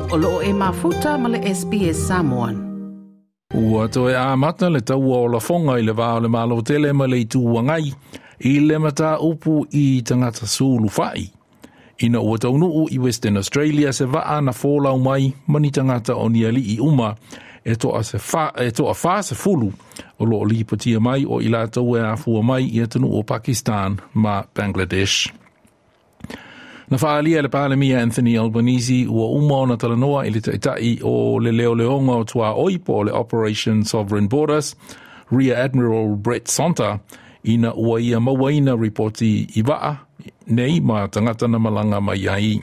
O loo e mafuta ma le SBS Samoan. Ua toe amata le taua o lafoga i le va o le Malo tele ma le Itu Agai i le mataupu i tagata sulufai. Ina ua taunuu i Western Australia se vaa na folau mai ma ni tagata o ni alii uma e toa, se fa, e toa 40 o loo lipotia mai o i latou e afua mai i atunuu o Pakistan ma Bangladesh. Na faaalia e le Palemia Anthony Albanese ua uma ona talanoa i le taitai o le leoleoga o tuaoi po o le Operation Sovereign Borders, Rear Admiral Brett Sonter, ina ua ia mauaina ripoti i vaa nei ma tagata na malaga mai ai.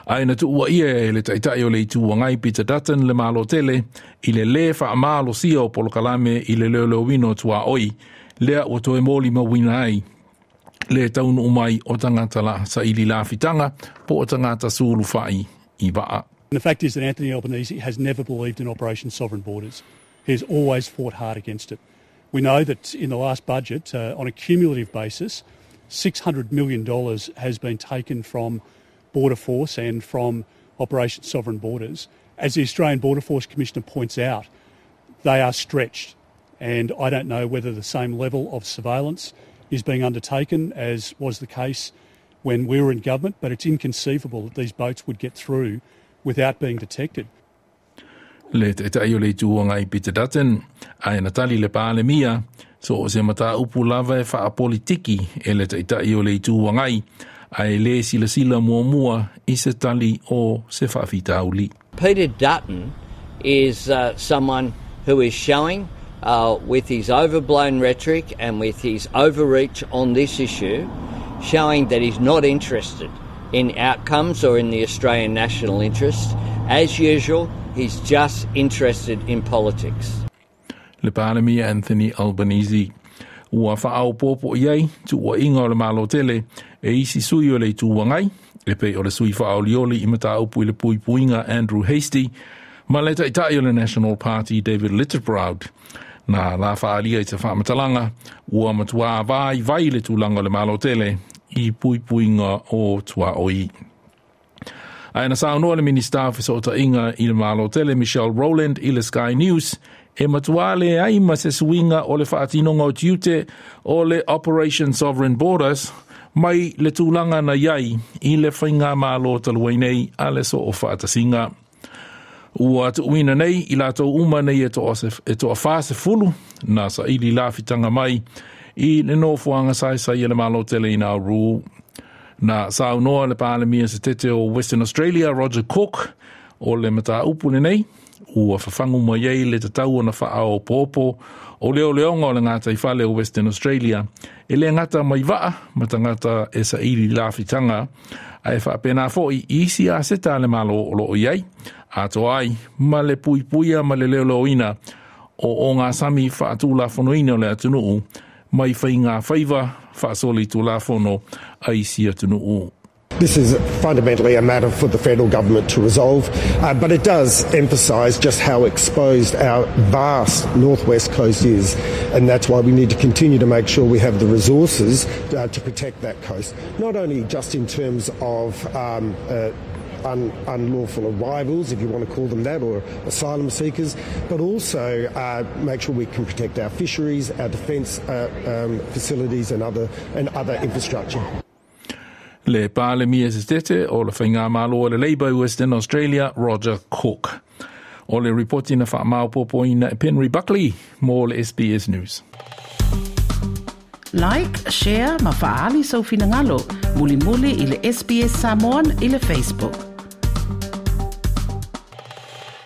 Ae na tuuaia e le taitai o le Itu Agai Peter Dutton le Malo tele i le lē faamalosia o polokalame i le leoleoina o tuaoi lea ua toe molimauina ai le taunuu mai o tagata la saili lafitaga po o tagata sulufai i vaa. And the fact is that Anthony Albanese has never believed in Operation Sovereign Borders. He has always fought hard against it. We know that in the last budget, on a cumulative basis, $600 million has been taken from Border Force and from Operation Sovereign Borders. As the Australian Border Force Commissioner points out, they are stretched. And I don't know whether the same level of surveillance is being undertaken as was the case when we were in government, but it's inconceivable that these boats would get through without being detected. Le taitai o le Itu Agai Peter Dutton, ae na tali le Palemia, so o se mataupu lava e faapolitiki e le taitai o le Itu Agai, ae lē silasila muamua i se tali o se faafitauli. Peter Dutton is someone who is showing with his overblown rhetoric and with his overreach on this issue, showing that he's not interested in outcomes or in the Australian national interest. As usual, he's just interested in politics. Le Palemia Anthony Albanese ua faaopoopo i ai tuuaiga o le Malo tele e isi sui o le Itu Agai e pei o le sui faaolioli i mataupu i le puipuiga Andrew Hastie ma le taitai o le National Party David Littleproud. Na la faaalia i se faamatalaga ua matuā vaivai le tulaga o le Malo tele i puipuiga o tuaoi. Ae na saunoa le Minista o Fesootaiga i le Malo tele Michelle Rowland i le Sky News e matuā leai ma se suiga o le faatinoga o tiute o le Operation Sovereign Borders mai le tulaga na iai i le faigamalo talu ai nei a le Soofaatasiga. Ua tuuina nei i latou uma nei e toa, e toa 40 na saili lafitaga mai i le nofoaga saisai e le Malo tele i Nauru. Na saunoa le Palemia setete o Western Australia Roger Cook o le mataupu lenei ua fafagu mai ai le tatau ona faaopoopo o leoleoga o le gataifale o Western Australia e lē gata mai vaa ma tagata e saili lafitaga ae faapena foʻi i isi aseta a le Malo o loo i ai atoa ai ma le puipuia ma le leoleoina o ogasami faatulafonoina o le atunuu mai faiga faiva faasolitulafono a isi atunuu. This is fundamentally a matter for the federal government to resolve, but it does emphasise just how exposed our vast northwest coast is, and that's why we need to continue to make sure we have the resources to protect that coast, not only just in terms of unlawful arrivals, if you want to call them that, or asylum seekers, but also make sure we can protect our fisheries, our defence facilities, and other infrastructure. Le Palemia setete o le Faigamalo o le Labour i Western Australia Roger Cook. O le ripoti na faamaopoopoina e Penry Buckley mo le SBS News. Like, share ma faaali sou finagalo. Mulimuli i le SBS Samoan i le Facebook.